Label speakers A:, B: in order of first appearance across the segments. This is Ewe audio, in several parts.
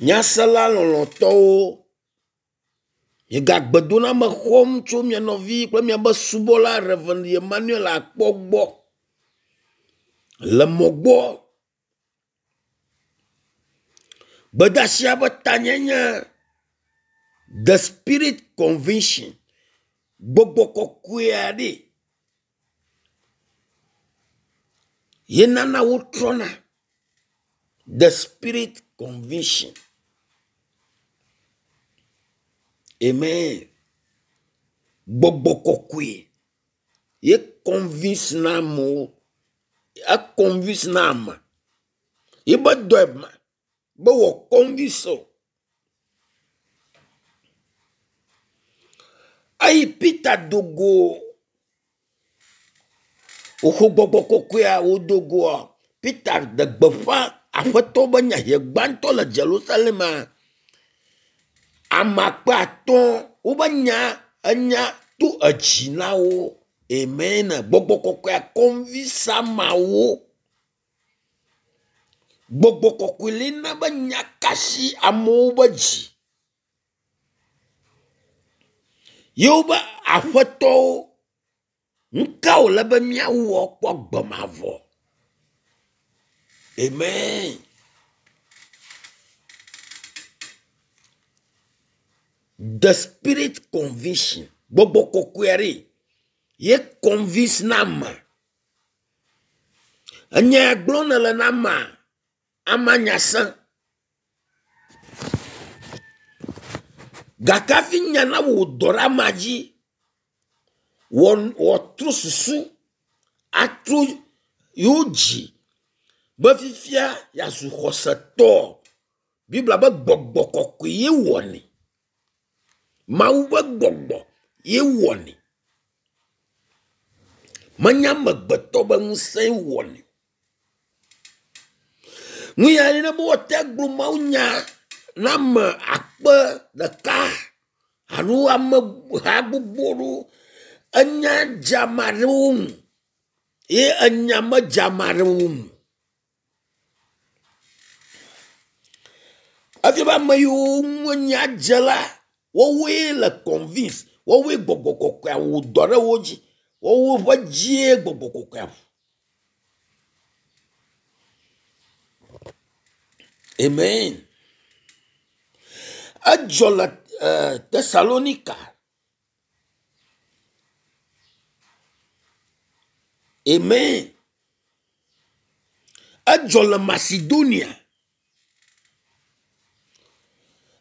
A: Nyasela lɔlɔ̃tɔwo, miegagbe doname xɔm tso mia nɔvi kple miabe subɔla Rev. Emmanuel Akpɔ gbɔ le mɔ gbɔ. Gbedeasia ƒe tanye nye the spirit conviction. Gbɔgbɔ kɔkɔea ɖe ye nana wotrɔna. The spirit conviction. Amen. Gbɔgbɔ kɔkɔe ye convince na amewo. Econvince na ame. Ye be dɔe ma be wɔ convince o. Eyi Peter do go woxɔ gbɔgbɔ kɔkɔea wodo goa Peter ɖe gbeƒã aƒetɔ be nya hie gbãtɔ le Jerusalem ame akpe atɔ̃ wobe nya enya to edzi na wo. Amen. Gbɔgbɔ kɔkɔea convince ameawo. Gbɔgbɔ kɔkɔe li na be nya kasi amewo be dzi. Yewo be aƒetɔwo nuka wòle be míawɔ kpɔ gbe mavɔ. Amen. The spirit conviction. Gbɔgbɔ kɔkɔea ɖe ye convince na ame. Enya ya gblɔm nele na amea, amea nya se. Gake hafi nya na wò dɔ ɖe amea dzi, wɔ wòatrɔ susu atrɔ yewo dzi be fifia yeazu xɔsetɔ. Biblia be gbɔgbɔ kɔkɔe ye wɔnɛ. Mawu ƒe gbɔgbɔ ye wɔnɛ. Menye amegbetɔ be ŋusẽe wɔnɛ. Nu ya ne be woate gblɔ mawunya na ame akpe ɖeka alo ame ha gbogbo ɖewo enya dze ame aɖewo ŋu ye enya medze ame aɖewo ŋu. Efia be ame yiwo ŋu enya dze la, woawoe le convince, woawoe gbɔgbɔ kɔkɔea wɔ dɔ ɖe wo dzi. Woawo ƒe dzie gbɔgbɔ kɔkɔea ʋu. Amen. Edzɔ le eh, Tesalonika. Amen. Edzɔ le Macedonia.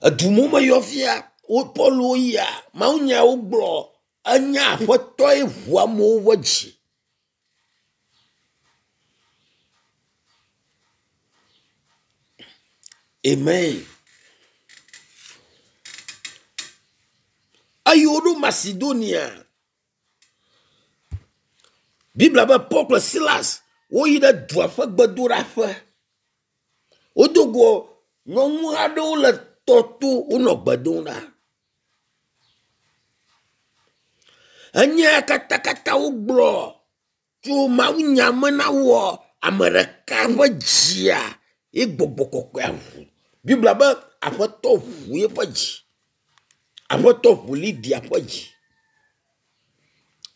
A: Edu mo meyɔ fia wo Paul yia mawunyawo gblɔ enya aƒetɔe ʋu amewo ƒe dzi. Amen. Eyi woɖo Macedonia. Biblia be Paul kple Silas woyi ɖe dua ƒe gbedoɖaƒe. Wodo go nyɔnu aɖewo le tɔ to wonɔ gbe dom ɖa. Enya katakata wogblɔ tso mawunya me na woa, ame ɖeka ƒe dzia ye gbɔgbɔ kɔkɔea ʋu. Biblia be aƒetɔ ʋu eƒe dzi. Aƒetɔ ʋu Lydia ƒe dzi.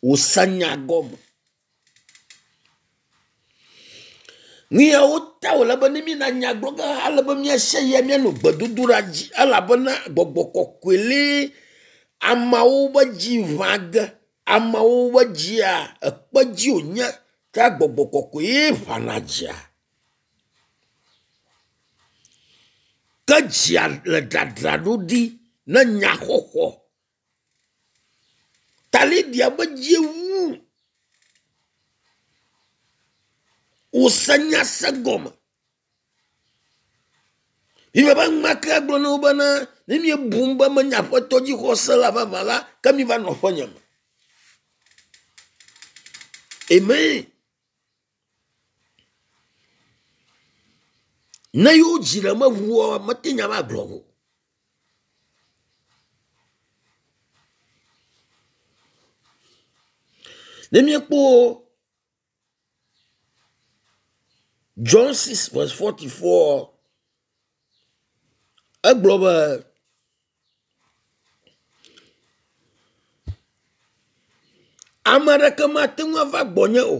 A: Wòse nya gɔme. Nu yawo ta wòle be ne míena nya gblɔ ge ale be míase ya míanɔ gbedodoɖa dzi elabena gbɔgbɔ kɔkɔe li ameawo be dzi ʋã ge. Ameawo be dzia ekpe dzi wònye ke gbɔgbɔ kɔkɔe ye ʋãna dzia. Ke dzia le dzadzraɖo ɖi ne nyaxɔxɔ. Ta Lydia be dzie wu. Wòse nya se gɔme. Biblia be enumake gblɔ na wo bena ne miebum be menye aƒetɔ dzixɔse la vavã la, ke miva nɔ aƒenye me. Amen. Ne yewo dzi ɖe meʋua, mete nya ma gblɔ o. Ne míekpɔ John 6 verse 44. Egblɔ be ame aɖeke mate ŋu ava gbɔnye o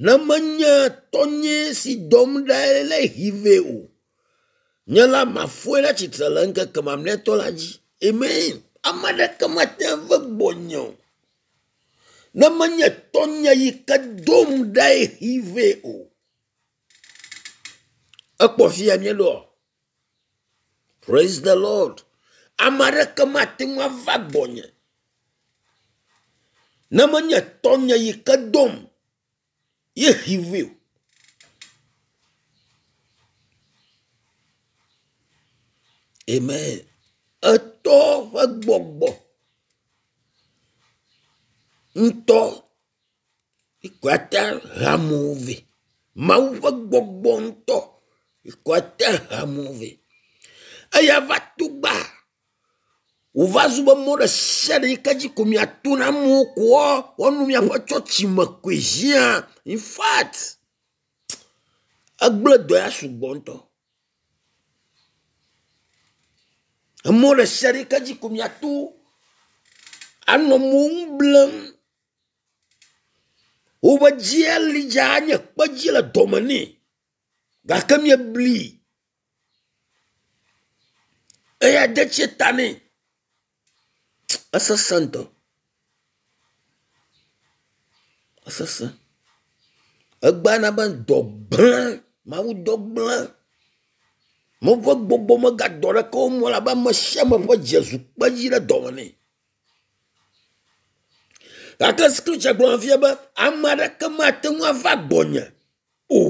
A: ne menye tɔnye si dɔm ɖa le hi vɛ o. Nye la mafɔe ɖe tsitre le ŋkeke mamlɛtɔ la dzi. Amen. Ame aɖeke mate ŋu ava gbɔnye o ne menye tɔnye yi ke dom ɖae hi vɛ o. Ekpɔ fi ya míeɖoa? Praise the Lord. Ame aɖeke mate ŋu ava gbɔnye ne menye tɔnye yi ke dom ye hi vɛ o. Amen. Etɔ ƒe gbɔgbɔ ŋutɔ ate he amewo vɛ. Mawu ƒe gbɔgbɔ ŋutɔ ate he amewo vɛ. Eya va to gba wòva zu be mɔ ɖe sia ɖe yi ke dzi ko miato na amewo koa woanu miaƒe tsɔtsi me koe hiã. In fact, egblẽ dɔ ya sugbɔ ŋutɔ. Emɔ ɖe sia ɖe yi ke dzi ko miato anɔ amewo ŋu blem. Woƒe dzia li dza nye kpedzi le dɔme nɛ gake miebli eya de tsie ta nɛ. Esesẽ ŋutɔ. Esesẽ. Egbea na be dɔ gblẽ, Mawu dɔ gblẽ. Mawu ƒe gbɔgbɔ megadɔ ɖeke wo o elabe ame sia ame ƒe dzi zu kpedzi ɖe dɔme nɛ. Gake scripture gblɔ fia be ame aɖeke mate ŋu ava gbɔnye o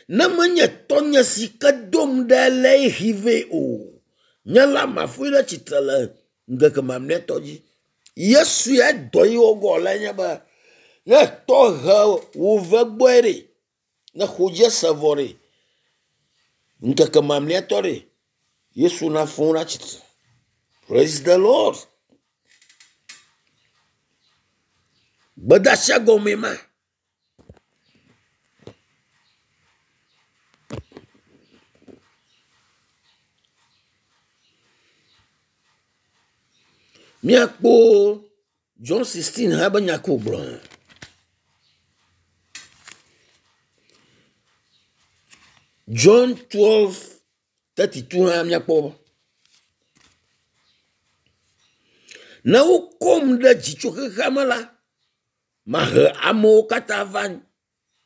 A: ne menye tɔnye si ke dom ɖe le hi vɛ o. Nye la mafɔe ɖe tsitre le ŋkeke mamlɛtɔ dzi. Yesu ya dɔ yi wogɔ le nye be ne tɔ he wò ve gbɔe ɖe, ne xo dzi ese vɔ ɖe, ŋkeke mamlɛtɔ ɖe, Yesu nafɔ wo ɖe tsitre. Praise the Lord. Gbedeasia gɔmee ma. Míakpɔ John 16 hã be nya ko wògblɔ. John 12 32 hã míakpɔ. Ne wokɔm ɖe dzi tso xexea me la, mahe amewo katã va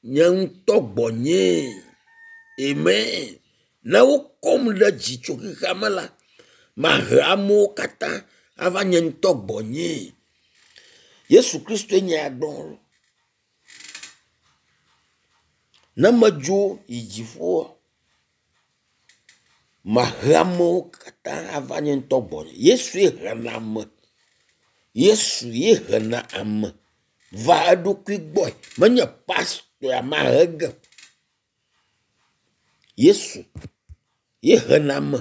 A: nye ŋutɔ gbɔnyee. Amen. Ne wokɔm ɖe dzi tso xexea me la, mahe amewo katã ava nye ŋutɔ gbɔnyee. Yesu Kristoe nye ya gblɔm. Ne medzo yi dziƒoa, mahe amewo katã ava nye ŋutɔ gbɔnye. Yesue hena ame. Yesu ye hena ame va eɖokui gbɔe. Menye pastor mahe ge o. Yesu ye hena ame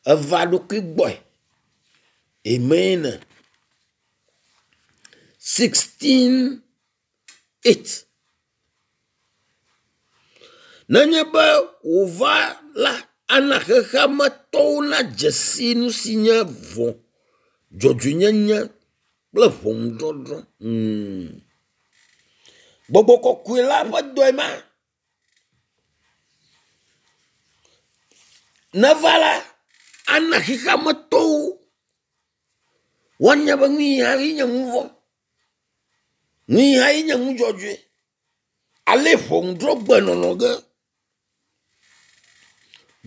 A: eva eɖokui gbɔe. Amen. 16 8. Nenye be wòva la, ana xexeametɔwo nadze si nu si nye vɔ̃, dzɔdzɔenyenye kple ʋɔnudɔdrɔ̃. Gbɔgbɔ kɔkɔe la ƒe dɔe ma. Neva la, ana xexeametɔwo woanya be nu yi hã nye nu vɔ̃, nu yi hã nye nu dzɔdzɔe. Ale ʋɔnudrɔ̃gbe nɔnɔ ge.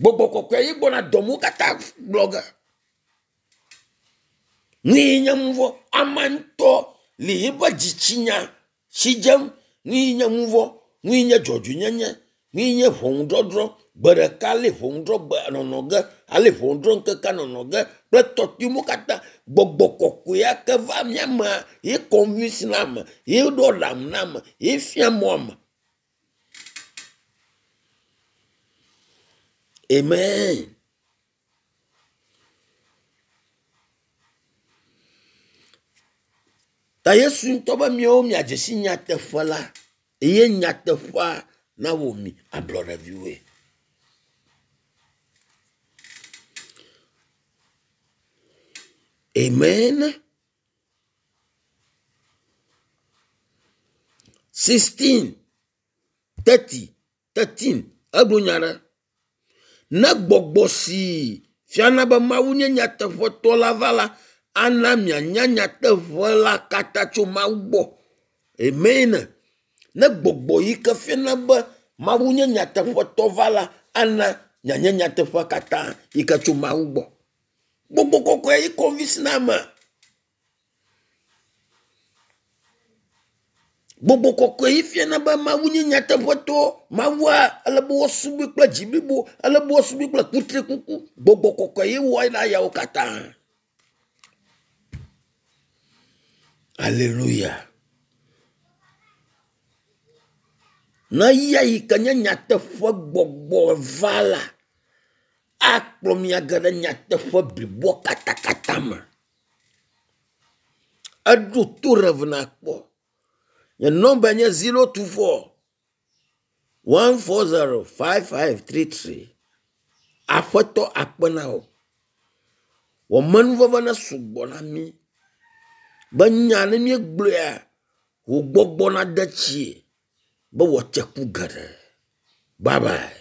A: Gbɔgbɔ kɔkɔe ye gbɔna dɔmewo katã gblɔ ge. Nu yi nye nu vɔ̃, ame ŋutɔ le eƒe dzitsinya si dzem. Nu yi nye nu vɔ̃, nu yi nye dzɔdzɔenyenye, nu yi nye ʋɔnudɔdrɔ̃. Gbe ɖeka ale ʋɔnudrɔ̃gbe nɔnɔ ge, ale ʋɔnudrɔ̃ŋkekea nɔnɔ ge kple tɔtrɔyiwo katã. Gbɔgbɔ kɔkɔe ya ke va mía mea, ye convince na ame, ye ɖo aɖaŋu na ame, ye fia mɔ ame. Amen. Ta Yesu ŋutɔ be miawo miadze si nyateƒe la eye nyateƒea nawɔ mi ablɔɖeviwoe. Amen. 16 30 13 egblɔ nya ɖe. Ne gbɔgbɔ si fiana be Mawu nye nyateƒetɔ la va la, ana mianya nyateƒe la katã tso Mawu gbɔ. Amen. Ne gbɔgbɔ yi ke fiana be Mawu nye nyateƒetɔ va la, ana mianya nyateƒea katã yi ke tso Mawu gbɔ. Gbɔgbɔ kɔkɔe yi convince na ame. Gbɔgbɔ kɔkɔe yi fiana be Mawu nye nyateƒetɔ. Mawua ele be woasubɔe kple dzi blibo, ele be woasubɔe kple kutrikuku. Gbɔgbɔ kɔkɔe ye wɔe na yawo katã. Aleluya. Ne eya yi ke nye nyateƒe gbɔgbɔ va la, akplɔ mia ge ɖe nyateƒe bliboa katakata me. Eɖo to Rev nakpɔ. Nye nɔmba nye 024 140 5533. Aƒetɔ akpe na wò. Wò amenuveve ne sugbɔ na mí. Be nya ne míegblɔea, wò gbɔgbɔ nade tsie be wòatse ku geɖe. Bye bye.